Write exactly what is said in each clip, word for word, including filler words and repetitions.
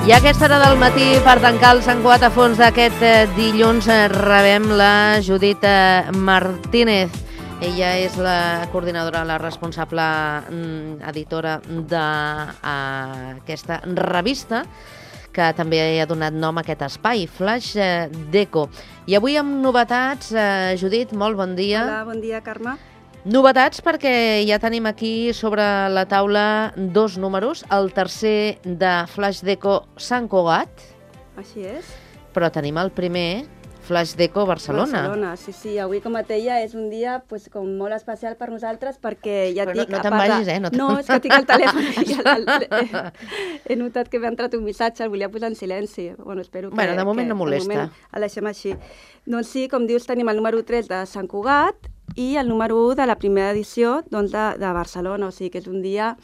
I a aquesta hora del matí, per tancar el Sant Cugat a fons d'aquest eh, dilluns, eh, rebem la Judit eh, Martínez. Ella és la coordinadora, la responsable mm, editora d'aquesta revista, que també ha donat nom a aquest espai, Flash eh, Deco. I avui amb novetats, eh, Judit, molt bon dia. Hola, bon dia, Carme. Novetats perquè ja tenim aquí sobre la taula dos números, el tercer de Flash Deco Sant Cugat. Així és. Però tenim el primer, Flash Deco Barcelona. Barcelona, sí, sí. Avui, com et deia, és un dia pues, com molt especial per nosaltres perquè ja Però et dic... no, no te'n vagis, eh? No, no, és que tinc el telèfon i el, el, he, he notat que m'ha entrat un missatge, el volia posar en silenci. Bueno, espero que... Bueno, de moment que, no molesta. De moment el deixem així. Doncs sí, com dius, tenim el número tres de Sant Cugat i el número u de la primera edició doncs, de, de Barcelona. O sigui que és un dia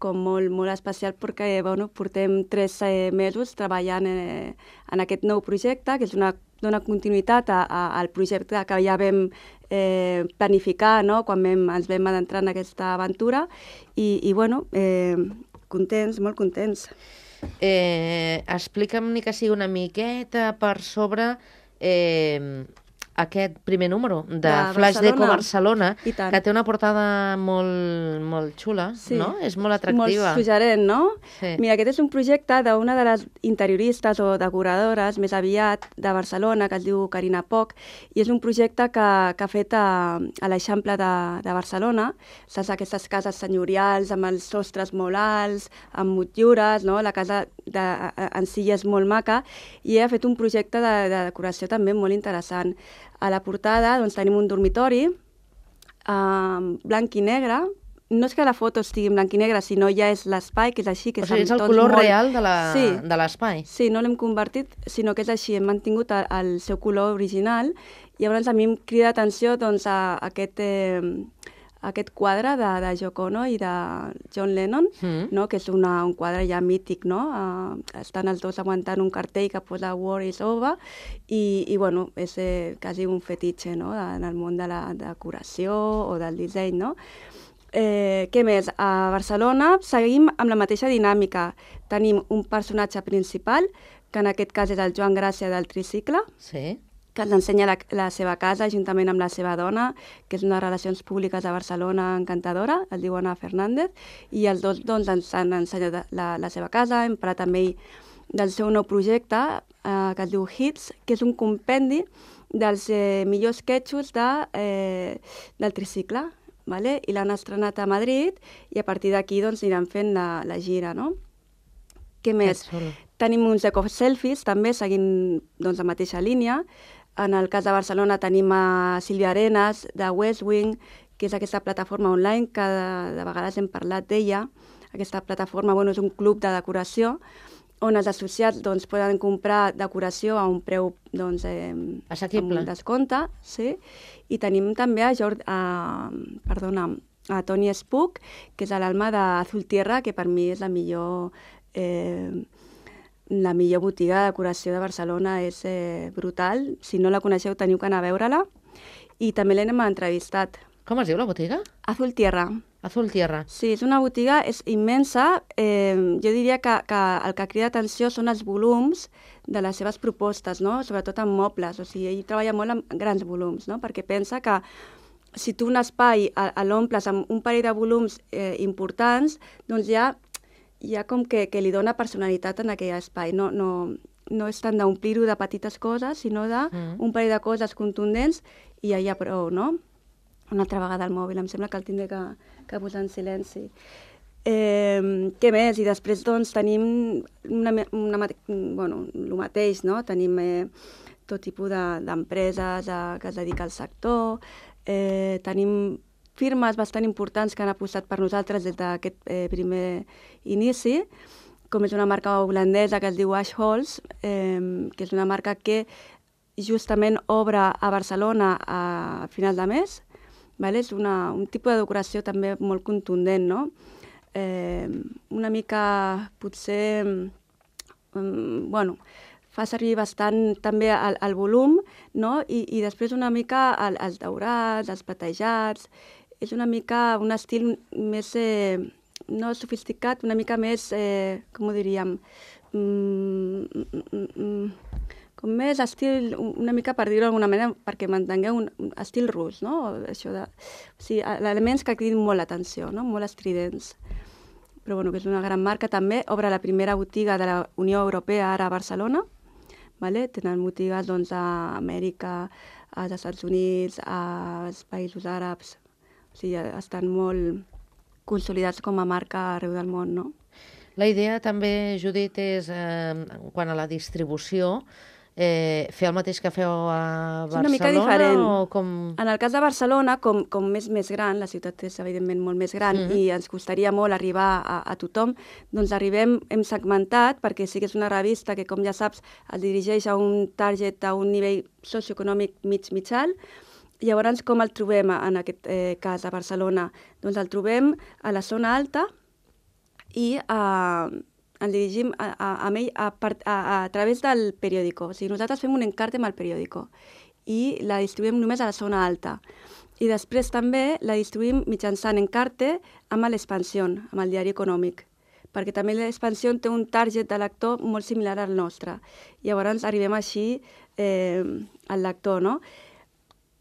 com molt, molt especial perquè bueno, portem tres eh, mesos treballant eh, en aquest nou projecte, que és una, dona continuïtat a, a, al projecte que ja vam eh, planificar, no?, quan vam, ens vam adentrar en aquesta aventura i, i bueno, eh, contents, molt contents. Eh, explica'm ni que sigui una miqueta per sobre... Eh, aquest primer número de, de Flash Deco Barcelona, que té una portada molt, molt xula, sí, no? És molt atractiva. Molt suggerent, no? Sí. Mira, aquest és un projecte d'una de les interioristes o decoradores més aviat de Barcelona, que es diu Carina Poch, i és un projecte que, que ha fet a, a l'Eixample de, de Barcelona. Saps, aquestes cases senyorials amb els sostres molt alts, amb motllures, no? La casa de, en si és molt maca, i ha fet un projecte de, de decoració també molt interessant. A la portada doncs, tenim un dormitori eh, blanc i negre. No és que la foto estigui en blanc i negre, sinó ja és l'espai, que és així. Que o sigui, és el és color molt... real de l'espai. Sí, sí, no l'hem convertit, sinó que és així. Hem mantingut el, el seu color original. I llavors a mi em crida atenció doncs, a, a aquest... Eh, aquest quadre de, de Yoko Ono i de John Lennon, mm. no? Que és una, un quadre ja mític, no? Uh, estan els dos aguantant un cartell que posa War is over i, i bueno, és eh, quasi un fetitxe, no? En el món de la decoració o del disseny, no? Eh, què més? A Barcelona seguim amb la mateixa dinàmica. Tenim un personatge principal, que en aquest cas és el Joan Gràcia del Tricicle, sí, que ens ensenya la, la seva casa juntament amb la seva dona, que és una relacions públiques a Barcelona encantadora, es diu Ana Fernández, i els dos doncs, ens han ensenyat la, la seva casa. Hem parlat amb ell del seu nou projecte, eh, que es diu Hits, que és un compendi dels eh, millors sketchos de, eh, del Tricicle, vale? I l'han estrenat a Madrid i a partir d'aquí doncs, aniran fent la, la gira, no? Què més? Tenim uns eco-selfies, també, seguint doncs, la mateixa línia. En el cas de Barcelona tenim a Sílvia Arenas, de West Wing, que és aquesta plataforma online, que de, de vegades hem parlat d'ella. Aquesta plataforma bueno, és un club de decoració on els associats doncs, poden comprar decoració a un preu doncs, eh, assequible, amb descompte. Sí? I tenim també a, Jord, a, perdona, a Tony Spook, que és l'alma d'Azul Tierra, que per mi és la millor... Eh, La millor botiga de decoració de Barcelona, és eh, brutal. Si no la coneixeu, teniu que anar a veure-la. I també l'hem entrevistat. Com es diu la botiga? Azul Tierra. Azul Tierra. Sí, és una botiga és immensa. Eh, jo diria que, que el que crida atenció són els volums de les seves propostes, no? Sobretot en mobles. O sigui, ell treballa molt amb grans volums, no? Perquè pensa que si tu un espai l'omples amb un parell de volums eh, importants, doncs ja... hi ha com que, que li dona personalitat en aquell espai. No, no, no és tant d'omplir-ho de petites coses, sinó d'un mm. parell de coses contundents i ja hi ha prou, no? Una altra vegada el mòbil, em sembla que el tindré que, que posar en silenci. Eh, què més? I després doncs tenim una, una, bueno, el mateix, no? Tenim eh, tot tipus d'empreses de, que es dedica al sector, eh, tenim firmes bastant importants que han apostat per nosaltres des d'aquest eh, primer inici, com és una marca holandesa que es diu Ash Halls, eh, que és una marca que justament obre a Barcelona a final de mes. Vale? És una, un tipus de decoració també molt contundent, no? Eh, una mica, potser, um, bueno, fa servir bastant també el, el volum, no? I, i després una mica el, els daurats, els platejats. És una mica un estil més, eh, no sofisticat, una mica més, eh, com ho diríem, mm, mm, mm, com més estil, una mica per dir-ho d'alguna manera, perquè mantingueu un, un estil rus, no? Això de, o sigui, elements que cridin molt l'atenció, no? Molt estridents. Però bueno, que és una gran marca també. Obre la primera botiga de la Unió Europea ara a Barcelona. Vale? Tenen botigues doncs, a Amèrica, als Estats Units, als països àrabs. O sigui, estan molt consolidats com a marca arreu del món, no? La idea també, Judit, és, eh, quant a la distribució, eh, fer el mateix que feu a Barcelona? És una mica diferent. O com... En el cas de Barcelona, com, com és més gran, la ciutat és evidentment molt més gran, mm-hmm. i ens costaria molt arribar a, a tothom, doncs arribem, hem segmentat, perquè sí que és una revista que, com ja saps, es dirigeix a un target, a un nivell socioeconòmic mig-mitjal. Llavors, com el trobem en aquest eh, cas a Barcelona? Doncs el trobem a la zona alta i a... ens dirigim a, a, a, a, a, a través del periòdico. O sigui, nosaltres fem un encarte amb el periòdico i la distribuïm només a la zona alta. I després també la distribuïm mitjançant encarte amb l'Expansió, amb el diari econòmic, perquè també l'Expansió té un target de lector molt similar al nostre. Llavors arribem així eh, al lector, no?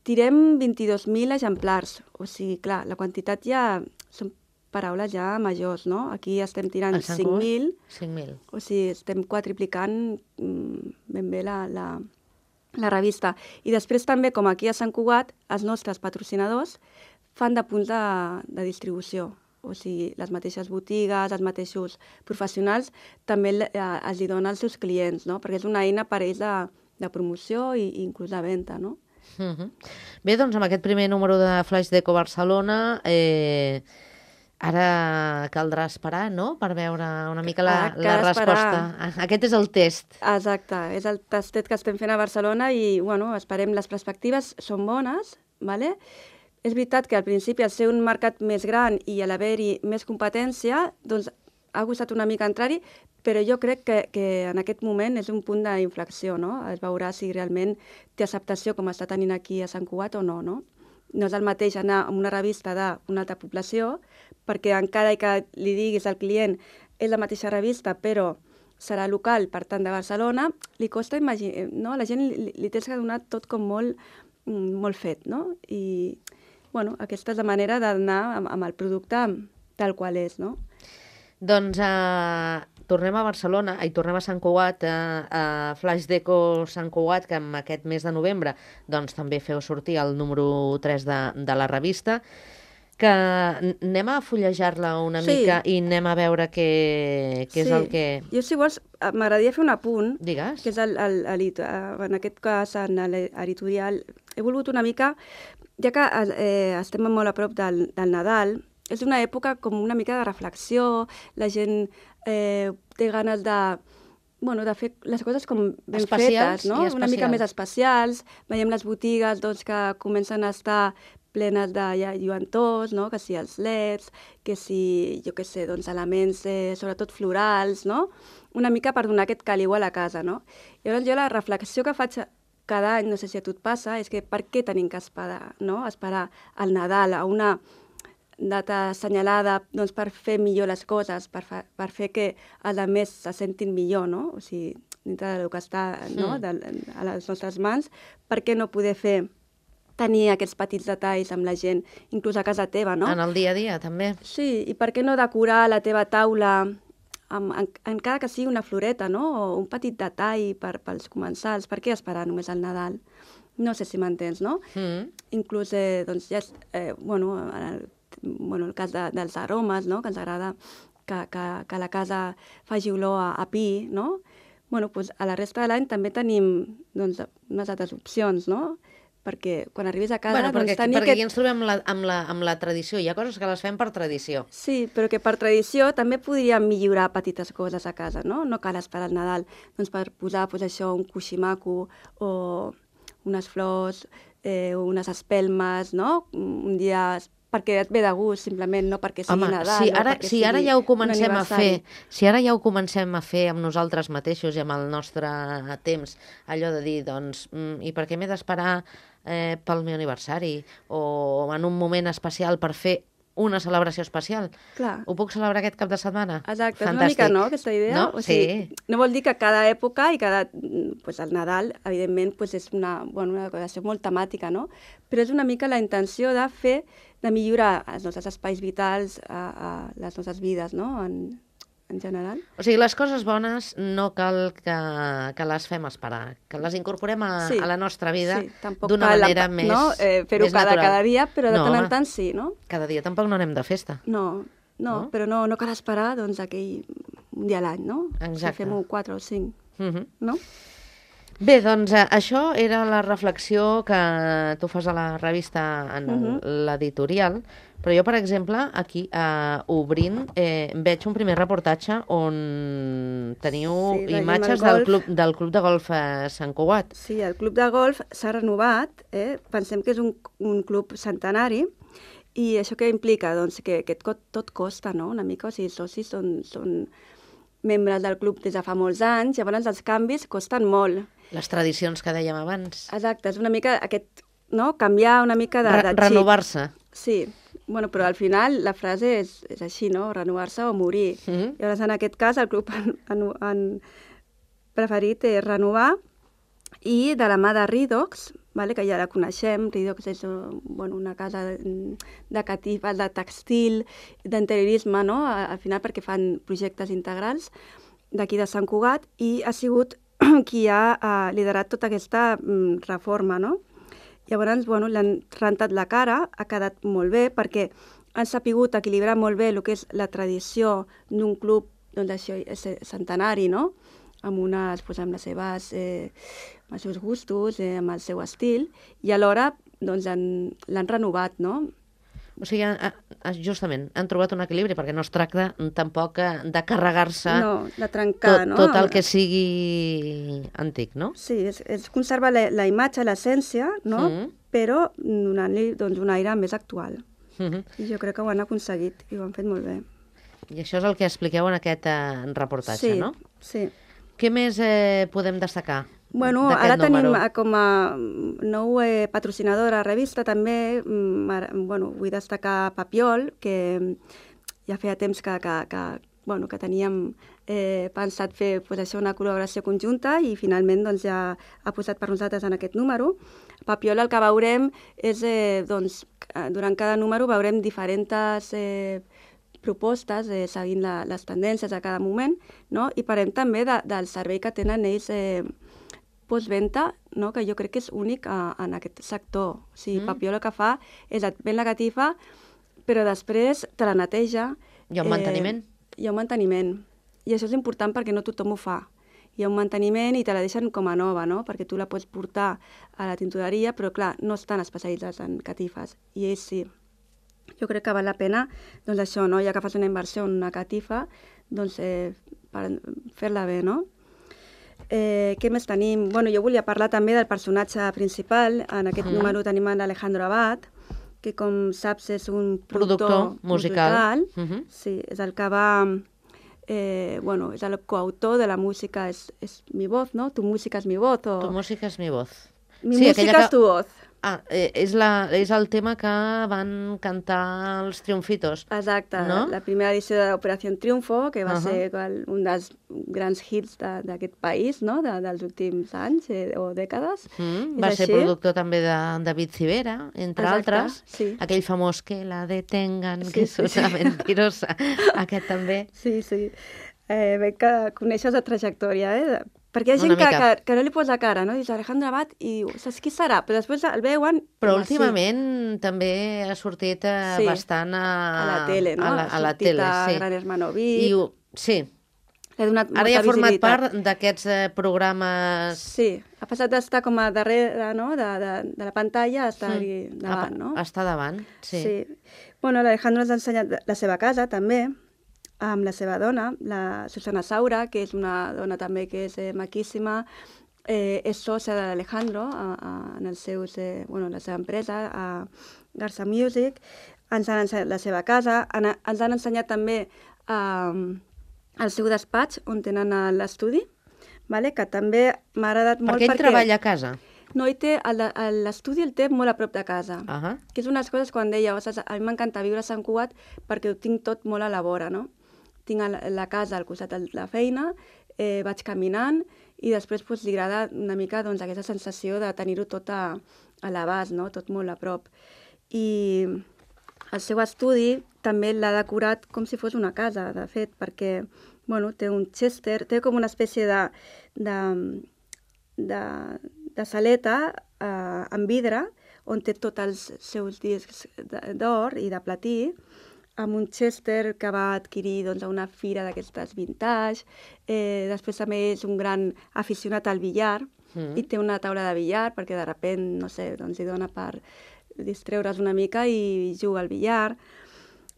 Tirem vint-i-dos mil exemplars, o sigui, clar, la quantitat ja són paraules ja majors, no? Aquí estem tirant cinc mil. cinc mil. O sigui, estem quadriplicant mm, ben bé la, la, la revista. I després també, com aquí a Sant Cugat, els nostres patrocinadors fan de punts de, de distribució. O sigui, les mateixes botigues, els mateixos professionals, també eh, els hi donen als seus clients, no? Perquè és una eina per ells de, de promoció i, i inclús de venda, no? Uh-huh. Bé, doncs amb aquest primer número de Flaix Deco Barcelona... Eh... Ara caldrà esperar, no?, per veure una mica la, la resposta. Esperar. Aquest és el test. Exacte, és el tastet que estem fent a Barcelona i, bueno, esperem, les perspectives són bones, ¿vale? És veritat que al principi, al ser un mercat més gran i a l'haver-hi més competència, doncs ha costat una mica entrar-hi, però jo crec que, que en aquest moment és un punt d'inflexió, no? Es veurà si realment té acceptació com està tenint aquí a Sant Cugat o no, no? No és el mateix anar a una revista d'una altra població, perquè encara que li diguis al client és la mateixa revista, però serà local, per tant, de Barcelona, li costa imaginar, no? La gent li, li tens que donar tot com molt, molt fet, no? I, bueno, aquesta és la manera d'anar amb, amb el producte tal qual és, no? Doncs uh, tornem a Barcelona, i tornem a Sant Cugat, a, a Flaix Deco Sant Cugat, que en aquest mes de novembre doncs, també feu sortir el número tres de, de la revista, que anem a fullejar-la una sí. mica i anem a veure què, què sí. és el que... Jo, si vols, m'agradaria fer un apunt, Digues. que és el, el, el, en aquest cas, en l'editorial. He volgut una mica, ja que eh, estem molt a prop del, del Nadal, és una època com una mica de reflexió, la gent eh, té ganes de, bueno, de fer les coses com ben especials fetes, no? Una mica més especials. Veiem les botigues doncs, que comencen a estar plenes de ja, lluentors, no? Que si els leds, que si, jo què sé, doncs, elements eh, sobretot florals, no? Una mica per donar aquest caliu a la casa, no? Llavors jo la reflexió que faig cada any, no sé si a tu et passa, és que per què tenim que esperar, no? Esperar al Nadal, a una data assenyalada doncs, per fer millor les coses, per, fa, per fer que els altres se sentin millor, no? O sigui, dintre del que està, no? de, a les nostres mans, per què no poder fer, tenir aquests petits detalls amb la gent, inclús a casa teva, no? En el dia a dia, també. Sí, i per què no decorar la teva taula amb, en, encara que sigui una floreta, no? O un petit detall per, pels comensals, per què esperar només al Nadal? No sé si m'entens, no? Mm. Inclús, eh, doncs, ja, eh, bueno, en el bueno, el cas de, dels aromes, no? Que ens agrada que, que, que la casa faci olor a, a pi, no? Bueno, doncs a la resta de l'any també tenim doncs, unes altres opcions, no? Perquè quan arribis a casa... Bueno, perquè, doncs, tenir perquè aquest... aquí ens trobem amb la, amb, la, amb la tradició. Hi ha coses que les fem per tradició. Sí, però que per tradició també podríem millorar petites coses a casa, no? No cal esperar el Nadal doncs, per posar pues, això, un coixí maco o unes flors, eh, unes espelmes, no? Un dia... perquè et ve de gust, simplement, no perquè sigui Home, Nadal, si no ara, perquè si ara ja ho comencem a fer, si ara ja ho comencem a fer amb nosaltres mateixos i amb el nostre temps, allò de dir, doncs, mm, i per què m'he d'esperar eh, pel meu aniversari o en un moment especial per fer una celebració especial. Clar. Ho puc celebrar aquest cap de setmana? Exacte, Fantàstic. És una mica, no?, aquesta idea. No? O sigui, sí. No vol dir que cada època i cada... Pues el Nadal, evidentment, pues és una, bueno, una decoració molt temàtica, no? Però és una mica la intenció de fer, de millorar els nostres espais vitals, a, a les nostres vides, no?, en, en general. O sigui, les coses bones no cal que, que les fem esperar, que les incorporem a, sí. a la nostra vida sí, d'una manera la, més, no? eh, fer-ho més cada, natural. cada dia, però de no, tant en tant sí, no? Cada dia tampoc no anem de festa. No, no, no? però no, no cal esperar doncs, aquell un dia a l'any, no? Exacte. Si fem-ho quatre o cinc, uh-huh. no? Bé, doncs eh, això era la reflexió que tu fas a la revista en uh-huh. l'editorial, però jo, per exemple, aquí, eh, obrint, eh, veig un primer reportatge on teniu sí, imatges del club, del club de golf eh, Sant Cugat. Sí, el club de golf s'ha renovat, eh? Pensem que és un, un club centenari, i això què implica? Doncs que, que tot, tot costa, no?, una mica, o sigui, els socis són, són membres del club des de fa molts anys, llavors els canvis costen molt. Les tradicions que dèiem abans. Exacte, és una mica aquest, no?, canviar una mica de, de xip. Renovar-se. Sí, bueno, però al final la frase és, és així, no?, renovar-se o morir. Mm-hmm. Llavors, en aquest cas, el club han, han, han preferit eh, renovar, i de la mà de Redox, vale, que ja la coneixem, Redox és bueno, una casa de catifes, de textil, d'interiorisme, no?, al final perquè fan projectes integrals d'aquí de Sant Cugat, i ha sigut qui ha uh, liderat tota aquesta um, reforma, no? Llavors, bueno, l'han rentat la cara, ha quedat molt bé, perquè han sapigut equilibrar molt bé el que és la tradició d'un club, doncs això, centenari, no?, amb, unes, doncs, amb, les seves, eh, amb els seus gustos, eh, amb el seu estil, i alhora doncs, l'han renovat, no? O sigui, justament, han trobat un equilibri, perquè no es tracta tampoc de carregar-se no, de trencar, tot, no? tot el que sigui antic, no? Sí, és, és conservar la, la imatge, l'essència, no? Mm. Però donant-li doncs, un aire més actual. Mm-hmm. I jo crec que ho han aconseguit i ho han fet molt bé. I això és el que expliqueu en aquest eh, reportatge, sí, no? Sí. Què més eh, podem destacar? Bueno, ara tenim com a nou eh, patrocinador a la revista també, ara, bueno, vull destacar Papiol, que ja feia temps que, que, que, bueno, que teníem eh, pensat fer pues, això, una col·laboració conjunta, i finalment doncs, ja ha posat per nosaltres en aquest número. Papiol, el que veurem és, eh, doncs, durant cada número veurem diferents eh, propostes, eh, seguint la, les tendències a cada moment, no? I parlem també de, del servei que tenen ells eh, postventa, no?, que jo crec que és únic a, en aquest sector. O sigui, mm. Papiol el que fa és et ven la catifa, però després te la neteja. Hi ha un eh, manteniment. Hi ha un manteniment. I això és important perquè no tothom ho fa. Hi ha un manteniment i te la deixen com a nova, no?, perquè tu la pots portar a la tintoreria, però clar, no estan especialitzats en catifes. I ells sí. Jo crec que val la pena, doncs això, no?, ja que fas una inversió en una catifa, doncs eh, per fer-la bé, no? Eh, què més tenim? Bueno, jo volia parlar també del personatge principal. En aquest mm. número tenim l'Alejandro Abad, que com saps és un productor, productor musical. musical. Mm-hmm. Sí, és el que va... Eh, bueno, és el coautor de la música és, és mi voz, no? Tu música és mi voz. O... Tu música és mi voz. Mi sí, música que... és tu voz. Ah, eh, és, la, és el tema que van cantar els Triunfitos. Exacte, no? La primera edició de l'Operació Triunfo, que va uh-huh. ser el, un dels grans hits d'aquest de, país, no?, de, dels últims anys eh, o dècades. Mm, va així. ser productor també de David Civera, entre Exacte, altres. Sí. Aquell famós que la detengan, sí, que sí, és una sí. mentirosa. Aquest també. Sí, sí. Eh, veig que coneixes la trajectòria, eh? Perquè hi ha gent que, que, que no li posa cara, no? Dius Alejandro Abad i saps qui serà? Però després el veuen... Però últimament sí. també ha sortit eh, sí. bastant a... a la tele, no? A la, a la tele, a sí. Gran Hermano Vic. I, sí. Ara ja ha format part d'aquests eh, programes... Sí, ha passat d'estar com a darrere, no?, de, de, de la pantalla a estar mm. davant, no? A estar davant, sí. Sí. Bueno, l'Alejandro ens ha ensenyat la seva casa, també, amb la seva dona, la Susana Saura, que és una dona també que és eh, maquíssima, eh, és sòcia de l'Alejandro en els seus, eh, bueno, la seva empresa, a Garza Music. Ens han ensenyat la seva casa, en, ens han ensenyat també eh, el seu despatx, on tenen l'estudi, vale? Que també m'ha agradat molt perquè... Perquè ell treballa a casa. No, i té, l'estudi el té molt a prop de casa, uh -huh. que és unes coses quan deia, ostres, a mi m'encanta viure a Sant Cugat perquè ho tinc tot molt a la vora, no? Tinc la, la casa al costat de la feina, eh, vaig caminant i després pues, li agrada una mica doncs, aquesta sensació de tenir-ho tot a, a l'abast, no? Tot molt a prop. I el seu estudi també l'ha decorat com si fos una casa, de fet, perquè bueno, té un Chester, té com una espècie de, de, de, de saleta eh, en vidre on té tots els seus discs d'or i de platí, amb un Chester que va adquirir doncs, a una fira d'aquestes vintage. Eh, després també és un gran aficionat al billar mm. i té una taula de billar perquè de sobte, no sé, doncs, li dona per distreure's una mica i juga al billar.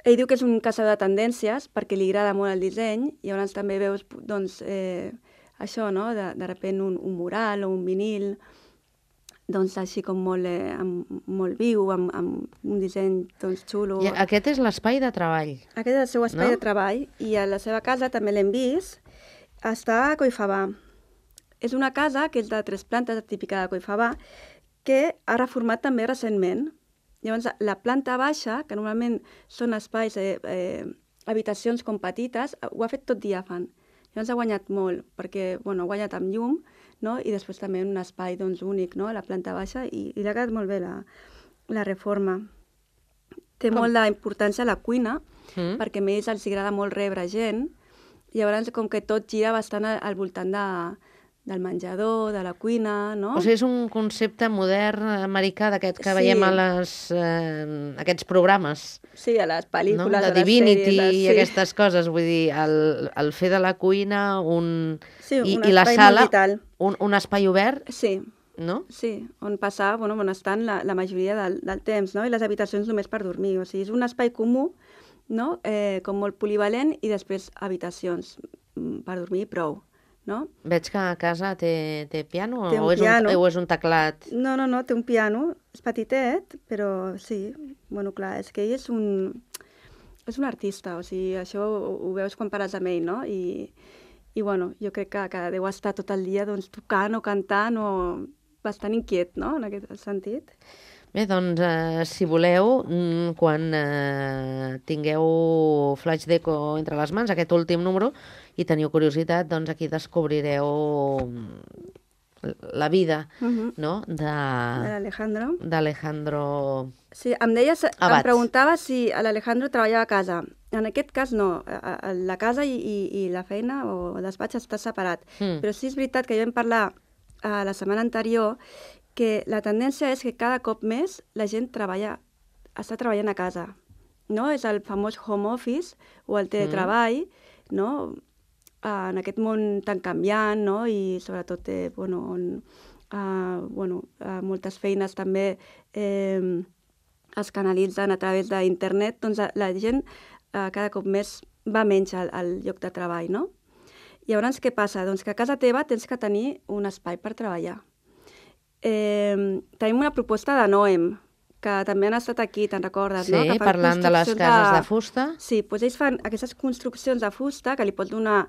Ell diu que és un caçador de tendències perquè li agrada molt el disseny i llavors també veus doncs, eh, això, no? de, de sobte un, un mural o un vinil, doncs així com molt, eh, amb, molt viu, amb, amb un disseny doncs, xulo. I aquest és l'espai de treball. Aquest és el seu espai no? de treball i a la seva casa també l'hem vist. Està a Collfabà. És una casa que és de tres plantes, típica de Collfabà, que ha reformat també recentment. Llavors, la planta baixa, que normalment són espais, eh, eh, habitacions com petites, ho ha fet tot diàfan. Llavors ha guanyat molt, perquè bueno, ha guanyat amb llum, no? I després també un espai doncs, únic, no? A la planta baixa, i, i li ha quedat molt bé la, la reforma. Té com? molt d'importància a la cuina, mm. perquè a ells els agrada molt rebre gent, i llavors com que tot gira bastant al, al voltant de, del menjador, de la cuina, no? O sigui, és un concepte modern americà d'aquest que sí. veiem a les, eh, aquests programes. Sí, a les pel·lícules, no? De a les Divinity sèries, i sí. aquestes coses. Vull dir, el, el fer de la cuina un... Sí, I, un i la sala, vital. un, un espai obert, sí. no? Sí, on passar, bueno, on estan la, la majoria del, del temps, no? I les habitacions només per dormir. O sigui, és un espai comú, no? Eh, com molt polivalent, i després habitacions per dormir i prou. No? Veig que a casa té, té piano, té o, és piano. Un, o és un teclat? No, no, no, té un piano, és petitet, però sí, bueno, clar, és que ell és un, és un artista, o sigui, això ho, ho veus quan pares amb ell, no? I, i bueno, jo crec que, que deu estar tot el dia doncs, tocant o cantant o bastant inquiet, no?, en aquest sentit. Bé, doncs, eh, si voleu, quan eh, tingueu Flash Deco entre les mans, aquest últim número, i teniu curiositat, doncs aquí descobrireu la vida, uh -huh. no?, de... De l'Alejandro. D'Alejandro Sí, em deies, Abad. Em preguntava si l'Alejandro treballava a casa. En aquest cas no, la casa i, i, i la feina o el despatx està separat. Mm. Però sí és veritat que ja vam parlar a la setmana anterior que la tendència és que cada cop més la gent treballa, està treballant a casa, no? És el famós home office o el teletreball, mm. no? En aquest món tan canviant, no? I sobretot, eh, bueno, on uh, bueno, uh, moltes feines també eh, es canalitzen a través d'internet, doncs la gent uh, cada cop més va menys al, al lloc de treball, no? I llavors què passa? Doncs que a casa teva tens que tenir un espai per treballar. Eh, tenim una proposta de Noem, que també han estat aquí, te'n recordes, sí, no? Sí, parlant de les cases de, de fusta. Sí, doncs ells fan aquestes construccions de fusta que li pots donar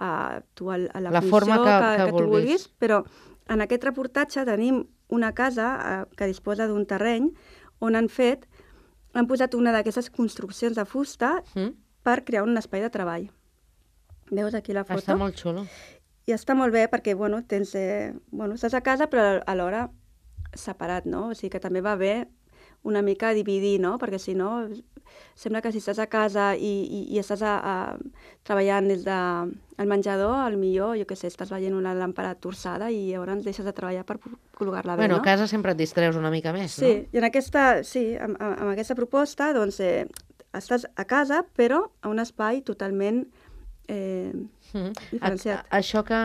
a tu a, a la, la funció forma que, que, que, que tu vulguis, però en aquest reportatge tenim una casa eh, que disposa d'un terreny on han fet, han posat una d'aquestes construccions de fusta mm. per crear un espai de treball. Veus aquí la foto? Està molt xulo. I està molt bé perquè, bueno, tens, eh, bueno, estàs a casa però alhora separat, no? O sigui que també va bé una mica dividir, no? Perquè si no, sembla que si estàs a casa i, i, i estàs a, a, treballant des del de, menjador, al millor, jo què sé, estàs veient una làmpara torçada i llavors deixes de treballar per col·locar-la bé, bueno, no? Bueno, a casa sempre et distreus una mica més, sí, no? Sí, i en aquesta, sí, amb, amb aquesta proposta, doncs, eh, estàs a casa, però a un espai totalment eh, mm. diferenciat. A, a, això que,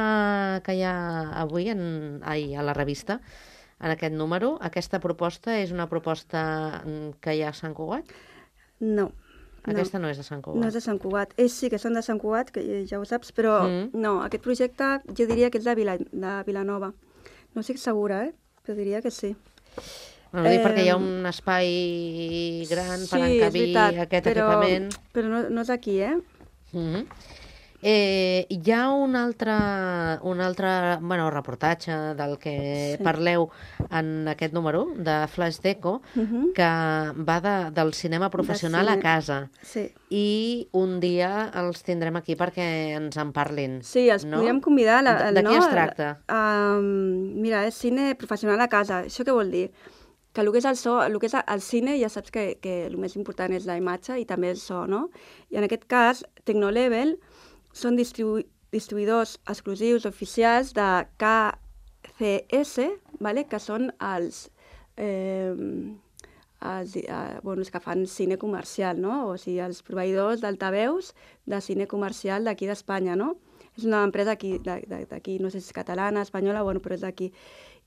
que hi ha avui en, ai, a la revista, en aquest número, aquesta proposta és una proposta que hi ha a Sant Cugat? No. Aquesta no, no és de Sant Cugat. No és de Sant Cugat. Ells sí que són de Sant Cugat, que ja ho saps, però mm. no, aquest projecte jo diria que és de, Vila, de Vilanova. No estic segura, eh? Però diria que sí. No, no dic eh, perquè hi ha un espai gran sí, per encabir veritat, aquest però, equipament. Però no, no és aquí, eh? Mm-hmm. Eh, hi ha un altre, un altre bueno, reportatge del que sí. parleu en aquest número de Flash Deco, uh -huh. que va de, del cinema professional de cine. a casa. Sí. I un dia els tindrem aquí perquè ens en parlin. Sí, els no? podríem convidar. La, de, de no? què es tracta? Uh, mira, és cine professional a casa. Això què vol dir? Que el que és el so, el que és el cine, ja saps que, que el més important és la imatge i també el so, no? I en aquest cas, Tecnolevel són distribu distribuïdors exclusius oficials de K C S, vale? Que són els, eh, els, eh, bueno, els que fan cine comercial, no? O sigui, els proveïdors d'altaveus de cine comercial d'aquí d'Espanya, no? És una empresa d'aquí, no sé si és catalana, espanyola, bueno, però és d'aquí.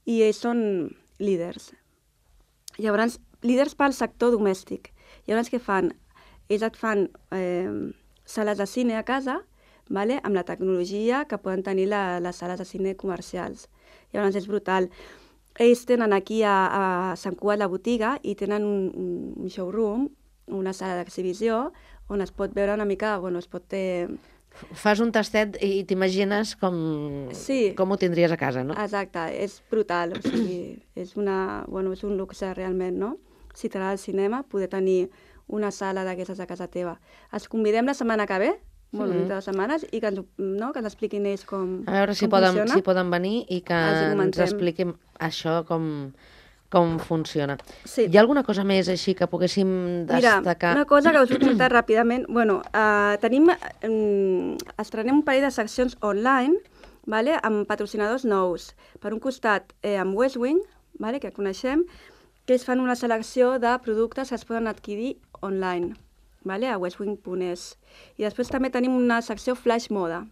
I ells són líders. Llavors, líders pel sector domèstic. Llavors, què fan? Ells et fan eh, sales de cine a casa, vale? Amb la tecnologia que poden tenir la, les sales de cine comercials. Llavors, és brutal. Ells tenen aquí a, a Sant Cugat la botiga i tenen un, un showroom, una sala d'exhibició, on es pot veure una mica, bueno, es pot... Eh... Fas un tastet i t'imagines com, sí. com ho tindries a casa, no? Exacte, és brutal, o sigui, és, una, bueno, és un luxe realment, no? Si t'agrada el cinema, poder tenir una sala d'aquestes a casa teva. Els convidem la setmana que ve, bueno, dintre de setmanes, i que ens, no, que ens expliquin ells com, a veure si com poden, funciona. si poden venir i que ens expliquin això com, com funciona. Sí. Hi ha alguna cosa més així que poguéssim destacar? Mira, una cosa que us vull contar ràpidament. Bueno, uh, tenim, um, estrenem un parell de seccions online, vale, amb patrocinadors nous. Per un costat, eh, amb Westwing, vale, que coneixem, que es fan una selecció de productes que es poden adquirir online, vale, a westwing punt es. I després també tenim una secció Flash Moda,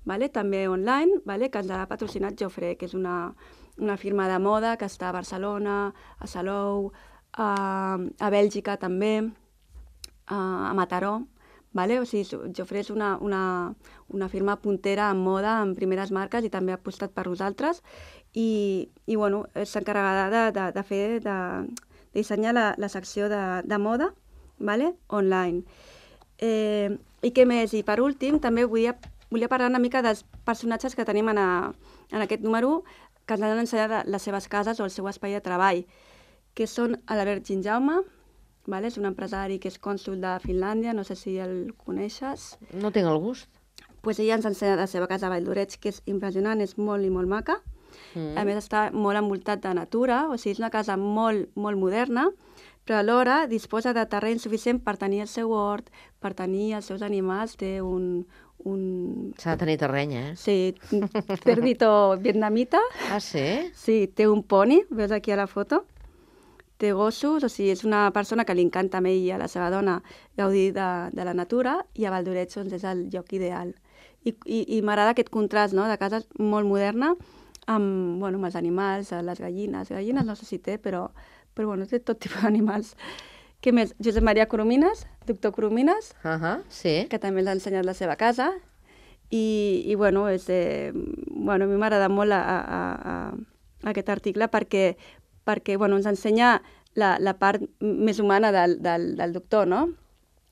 vale, també online, vale, que ens ha patrocinat Jofre, que és una, una firma de moda que està a Barcelona, a Salou, a, a Bèlgica també, a, a Mataró. Vale? O sigui, Jofre és una, una, una firma puntera en moda, en primeres marques, i també ha apostat per nosaltres. I, i bueno, és encarregada de, de, de fer, de, de dissenyar la, la secció de, de moda, vale? Online. Eh, I què més? I per últim, també volia, volia parlar una mica dels personatges que tenim en, a, en aquest número, que ens han ensenyat les seves cases o el seu espai de treball, que són l'Albert Ginjaume, vale? És un empresari que és cònsul de Finlàndia, no sé si el coneixes. No tinc el gust. Pues ella ens ha ensenyat la seva casa a Valldoreix, que és impressionant, és molt i molt maca. Mm. A més, està molt envoltat de natura, o sigui, és una casa molt, molt moderna, però alhora disposa de terreny suficient per tenir el seu hort, per tenir els seus animals, té un... un... S'ha de tenir terreny, eh? Sí, cerdito vietnamita. Ah, sí? Sí, té un poni, veus aquí a la foto. Té gossos, o sigui, és una persona que li encanta a ell i a la seva dona gaudir de, de la natura, i a Valldoreix doncs, és el lloc ideal. I, i, i m'agrada aquest contrast, no?, de casa molt moderna amb, bueno, amb els animals, les gallines. Gallines no sé si té, però, però bueno, té tot tipus d'animals. Què més? Josep Maria Coromines, doctor Coromines, uh -huh, sí. que també l'ha ensenyat la seva casa. I, i bueno, és, eh, bueno, a mi m'agrada molt a, a, a, a aquest article perquè perquè bueno, ens ensenya la, la part més humana del, del, del doctor, no?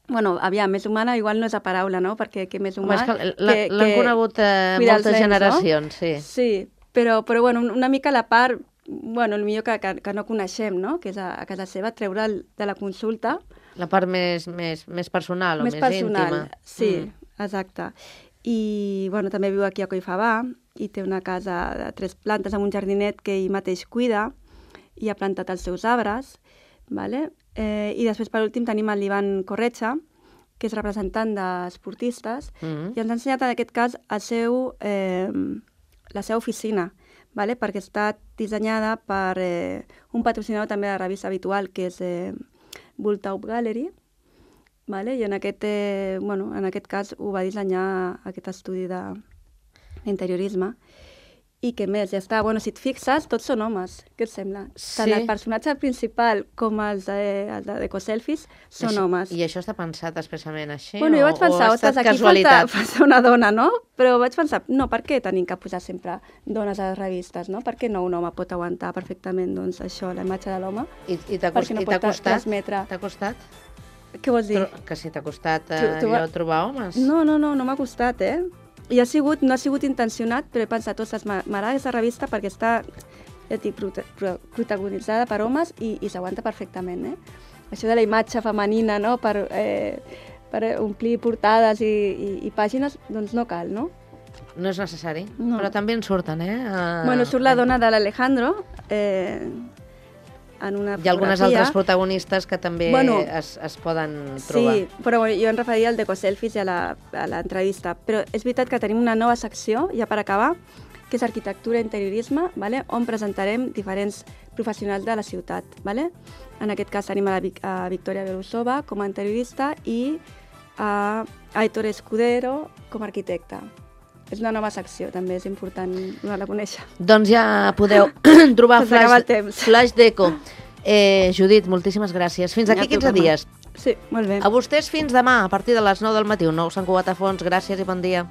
Bueno, aviam, més humana igual no és la paraula, no? Perquè que més humà... L'han conegut eh, moltes nens, generacions, no? Sí. Sí, però, però bueno, una mica la part, bueno, el millor que, que, que no coneixem, no? Que és a, a casa seva, treure'l de la consulta. La part més, més, més personal o més, més personal, íntima. Sí, mm. exacte. I, bueno, també viu aquí a Collfabà i té una casa de tres plantes amb un jardinet que ell mateix cuida, i ha plantat els seus arbres, vale? eh, i després per últim tenim el Ivan Corretxa, que és representant d'esportistes, mm-hmm. i ens ha ensenyat en aquest cas el seu, eh, la seva oficina, vale? Perquè està dissenyada per eh, un patrocinador també de la revista habitual, que és eh, Bulltaup Gallery, vale? I en aquest, eh, bueno, en aquest cas ho va dissenyar aquest estudi d'interiorisme. I què més? Ja està. Bueno, si et fixes, tots són homes. Què et sembla? Sí. Tant el personatge principal com els de, els de Ecoselfies són això, homes. I això està pensat expressament així? Bueno, jo vaig pensar, o ha estat aquí casualitat? falta, falta una dona, no? Però vaig pensar, no, per què tenim que posar sempre dones a les revistes, no? Per què no un home pot aguantar perfectament, doncs, això, la imatge de l'home? I, i t'ha cost, no costat? transmetre... T'ha costat? Què vols dir? Que si t'ha costat allò trobar homes. No, no, no, no m'ha costat, eh? I ha sigut, no ha sigut intencionat, però he pensat, ostres, m'agrada aquesta revista perquè està, ja dic, protagonitzada per homes i, i s'aguanta perfectament, eh? Això de la imatge femenina, no?, per, eh, per omplir portades i, i, i pàgines, doncs no cal, no? No és necessari, no. Però també en surten, eh? Uh, bueno, surt la dona de l'Alejandro, eh, en una fotografia. Hi ha algunes altres protagonistes que també bueno, es, es poden trobar. Sí, però bueno, jo em referia al d'Ecoselfies i a l'entrevista. Però és veritat que tenim una nova secció, ja per acabar, que és arquitectura i interiorisme, vale? On presentarem diferents professionals de la ciutat. Vale? En aquest cas tenim a, la, a Victoria Belousova com a interiorista i a Aitor Escudero com a arquitecte. És una nova secció, també és important donar-la a conèixer. Doncs ja podeu trobar Flash, Flash Deco. Eh, Judit, moltíssimes gràcies. Fins aquí quinze dies. Sí, molt bé. A vostès fins demà, a partir de les nou del matí. Un nou Sant Cugat a Fons. Gràcies i bon dia.